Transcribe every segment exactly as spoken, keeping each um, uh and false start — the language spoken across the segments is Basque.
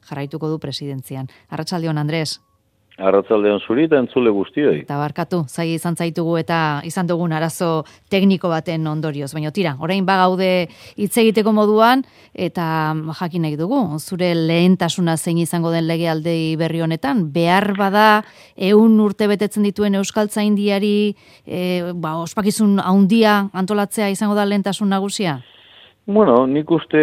jarraituko du presidentzian. Arratsaldeon, Andres. Arratsaldeon zuri eta entzule guztioi. Eta barkatu, zaila izan zaitugu eta izan dugun arazo tekniko baten ondorioz. Baina tira, orain bagaude hitz egiteko moduan eta jakin nahi dugu. Zure lehentasuna zein izango den legealdi berri honetan, behar bada ehun urte betetzen dituen Euskaltzaindiari e, ba, ospakizun handia antolatzea izango da lehentasun nagusia? Bueno, nik uste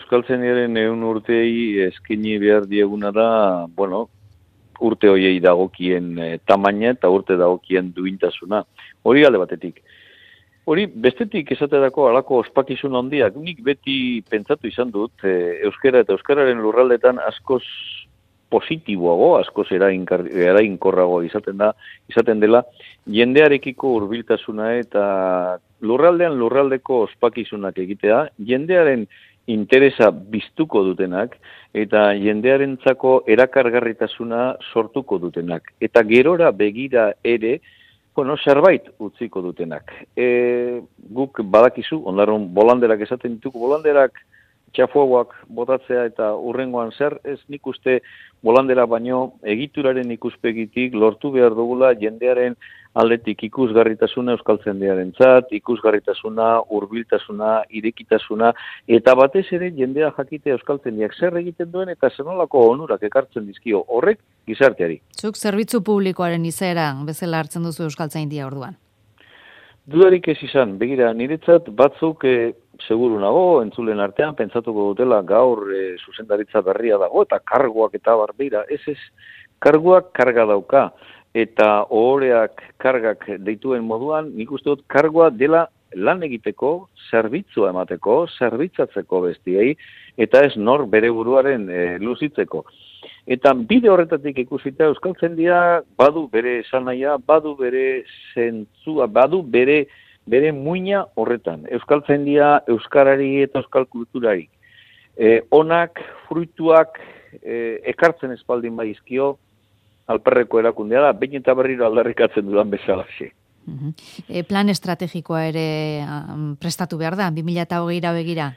Euskaltzaindiaren ehun urtei eskaini behar dieguna da, bueno, urte hoiei dagokien e, tamaina eta urte dagokien duintasuna. Hori alde batetik. Hori bestetik esaterako halako ospakizun handiak, nik beti pentsatu izan dut, e, euskara eta euskararen lurraldetan askoz positiboago, askoz erainkorrago izaten da, izaten dela, jendearekiko hurbiltasuna eta lurraldean lurraldeko ospakizunak egitea, jendearen interesa biztuko dutenak eta jendearentzako erakargarritasuna sortuko dutenak. Eta gerora begira ere, bueno, zerbait utziko dutenak. E, guk badakizu, ondaron bolanderak esaten dituko, bolanderak txafuagoak botatzea eta urrengoan zer, ez nik uste bolandera baino egituraren ikuspegitik lortu behar dugula jendearen aldetik ikusgarritasuna euskaltzaindiarentzat, ikusgarritasuna, hurbiltasuna, irekitasuna, eta batez ere jendea jakite euskaltzaindiak zer egiten duen eta zenolako onurak ekartzen dizkio horrek gizarteari. Zuk zerbitzu publikoaren izaera bezala hartzen duzu Euskaltzaindia orduan? Dudarik ez izan, begira, niretzat batzuk e, seguru nago, entzulen artean, pentsatuko dutela gaur e, zuzendaritza berria dago, eta karguak eta barbira, ez ez, karguak karga dauka, eta ohoreak kargak deituen moduan, nik uste dut kargoa dela lan egiteko, zerbitzua emateko, zerbitzatzeko bestiei, eta ez nor bere buruaren e, luzitzeko. Eta bide horretatik ikusita Euskaltzaindia badu bere esanahia, badu bere zentzua, badu bere bere muina horretan. Euskaltzaindia euskarari eta euskal kulturari. E, onak, fruituak e, ekartzen espaldin baizkio, alperreko erakundea da, behin eta berriro aldarrikatzen dudan bezalaxe. Uh-huh. E, plan estrategikoa ere um, prestatu behar da, bi mila hogeira begira?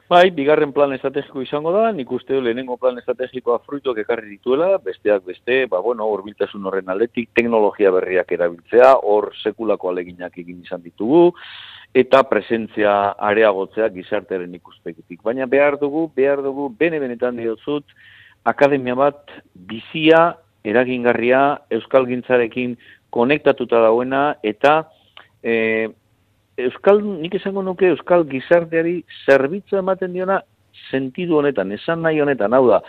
Bai, bigarren plan estrategiko izango da, nik uste lehenengo plan estrategikoa fruituak ekarri dituela, besteak beste, ba bueno, hurbiltasun horren aldetik, teknologia berriak erabiltzea, hor sekulako aleginak egin izan ditugu, eta presentzia areagotzea gizartearen ikuspegitik. Baina behar dugu, behar dugu, bene-benetan diotzut, akademia bat bizia, eragingarria, euskalgintzarekin konektatuta dauena, eta e, euskal, nik esango nuke euskal gizarteari zerbitzu ematen diona sentidu honetan, esan nahi honetan, hau da,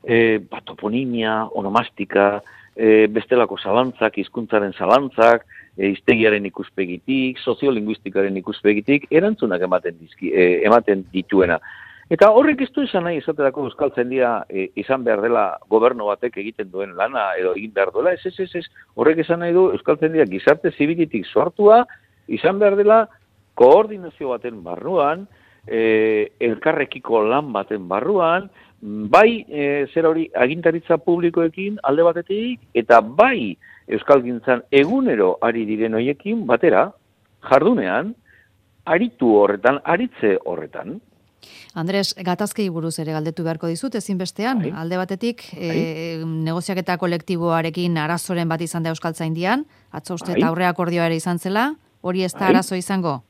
e, ba, toponimia, onomastika, e, bestelako zalantzak, hizkuntzaren zalantzak, e, hiztegiaren ikuspegitik, soziolinguistikaren ikuspegitik, erantzunak ematen, dizki, e, ematen dituena. Eta horrek ez du esan nahi esaterako Euskaltzaindia e, izan behar dela gobernu batek egiten duen lana edo egin behar duela, ez, ez, ez, ez, horrek esan nahi du Euskaltzaindia gizarte zibilitik sortua, izan behar dela koordinazio baten barruan, e, elkarrekiko lan baten barruan, bai e, zer hori agintaritza publikoekin alde batetik, eta bai Euskalgintzan egunero ari diren hoiekin batera, jardunean, aritu horretan, aritze horretan. Andres, gatazkei buruz ere galdetu beharko dizut, ezinbestean, Ai. alde batetik, e, negoziaketa kolektiboarekin arazoren bat izan da Euskaltzaindian, atzo uste eta aurre akordioa ere izan zela, hori ez da arazo izango?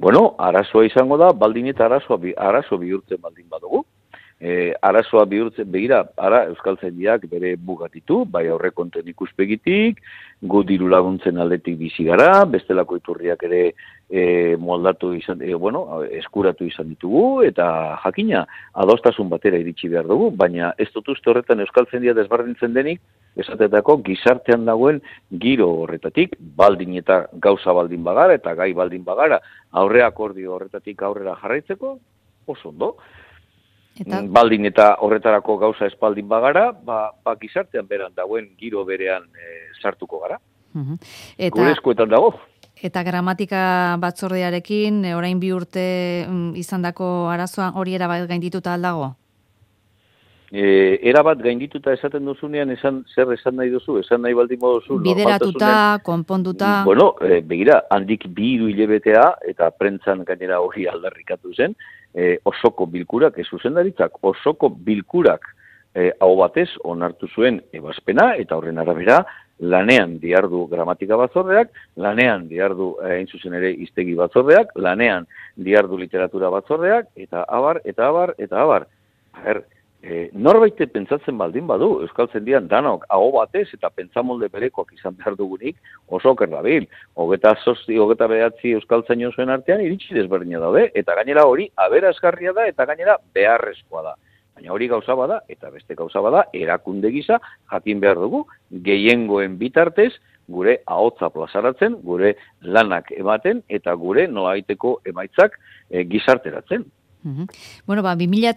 Bueno, arazoa izango da, baldin eta arazoa, arazo bihurtzen baldin badugu. E, arazoa bihurtzen, begira, ara Euskaltzaindiak bere bugatitu, bai aurrekonten ikuspegitik, gu diru laguntzen aldetik bizi gara, bestelako iturriak ere e, moldatu izan, e, bueno, eskuratu izan ditugu, eta jakina, adostasun batera iritsi behar dugu, baina ez dut uste horretan Euskaltzaindia desberdintzen denik, esatetako gizartean dagoen giro horretatik, baldin eta gauza baldin bagara, eta gai baldin bagara, aurre akordio horretatik aurrera jarraitzeko, oso ondo. Eta? Baldin eta horretarako gauza espaldin bagara, ba, ba gizartean beran dagoen giro berean e, sartuko gara. Uh-huh. Eta, gure eskuetan dago. Eta gramatika batzordearekin, orain bi urte mm, izandako arazoa hori erabat gaindituta aldago? E, erabat gaindituta esaten duzunean, esan, zer esan nahi duzu, esan nahi baldin moduzu. Bideratuta, konponduta. Bueno, e, begira, handik bi hiru hilebetea, eta prentzan gainera hori aldarrikatu zen, e, osoko bilkurak, ez zuzendaritzak, osoko bilkurak e, hau batez onartu zuen ebazpena, eta horren arabera, lanean diardu gramatika batzordeak, lanean diardu hain zuzen ere hiztegi batzordeak, lanean diardu literatura batzordeak, eta abar, eta abar, eta abar. Her, e, norbaite pentsatzen baldin badu, Euskaltzaindian danok aho batez eta pentsamolde berekoak izan behar dugunik, oso oker dabil. Hogeta sosti, hogeta behatzi Euskaltzaino zuen artean iritsi desberdina daude, eta gainera hori aberasgarria da, eta gainera beharrezkoa da. Baina hori gauza bada, eta beste gauza bada, erakunde gisa jakin behar dugu, gehiengoen bitartez, gure ahotza plazaratzen, gure lanak ematen, eta gure nolabaiteko emaitzak e, gizarteratzen. Uhum. Bueno, ba, bi mila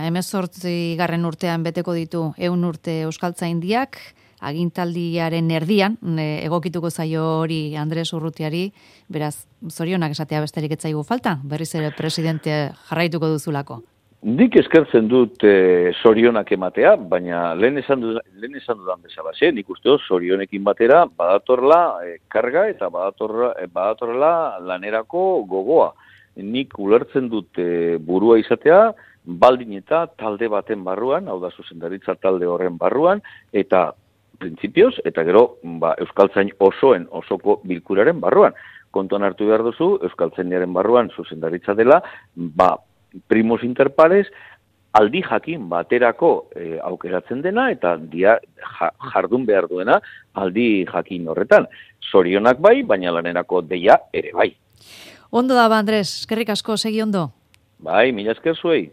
hemezortzi garren urtean beteko ditu ehun urte Euskaltzaindiak, agintaldiaren erdian, e, egokituko zaio hori Andres Urrutiari, beraz, zorionak esatea besterik ez zaigu falta, berriz ere presidente jarraituko duzulako. Nik eskertzen dut e, zorionak ematea, baina lehen esan dudan, lehen esan dudan bezalaxe, nik uste dut zorionekin batera badatorla e, karga eta badatorla, e, badatorla lanerako gogoa. Nik ulertzen dut e, burua izatea, baldin eta talde baten barruan, hau da zuzendaritza talde horren barruan, eta printzipioz, eta gero ba, Euskaltzain osoen osoko bilkuraren barruan. Kontuan hartu behar duzu, Euskaltzaindiaren barruan zuzendaritza dela, ba, primus inter pares, aldi jakin baterako e, aukeratzen dena, eta dia, ja, jardun behar duena aldi jakin horretan. Zorionak bai, baina lanerako deia ere bai. Ondo da, Andres, eskerrik asko, segi ondo. Bai, mila esker zuei.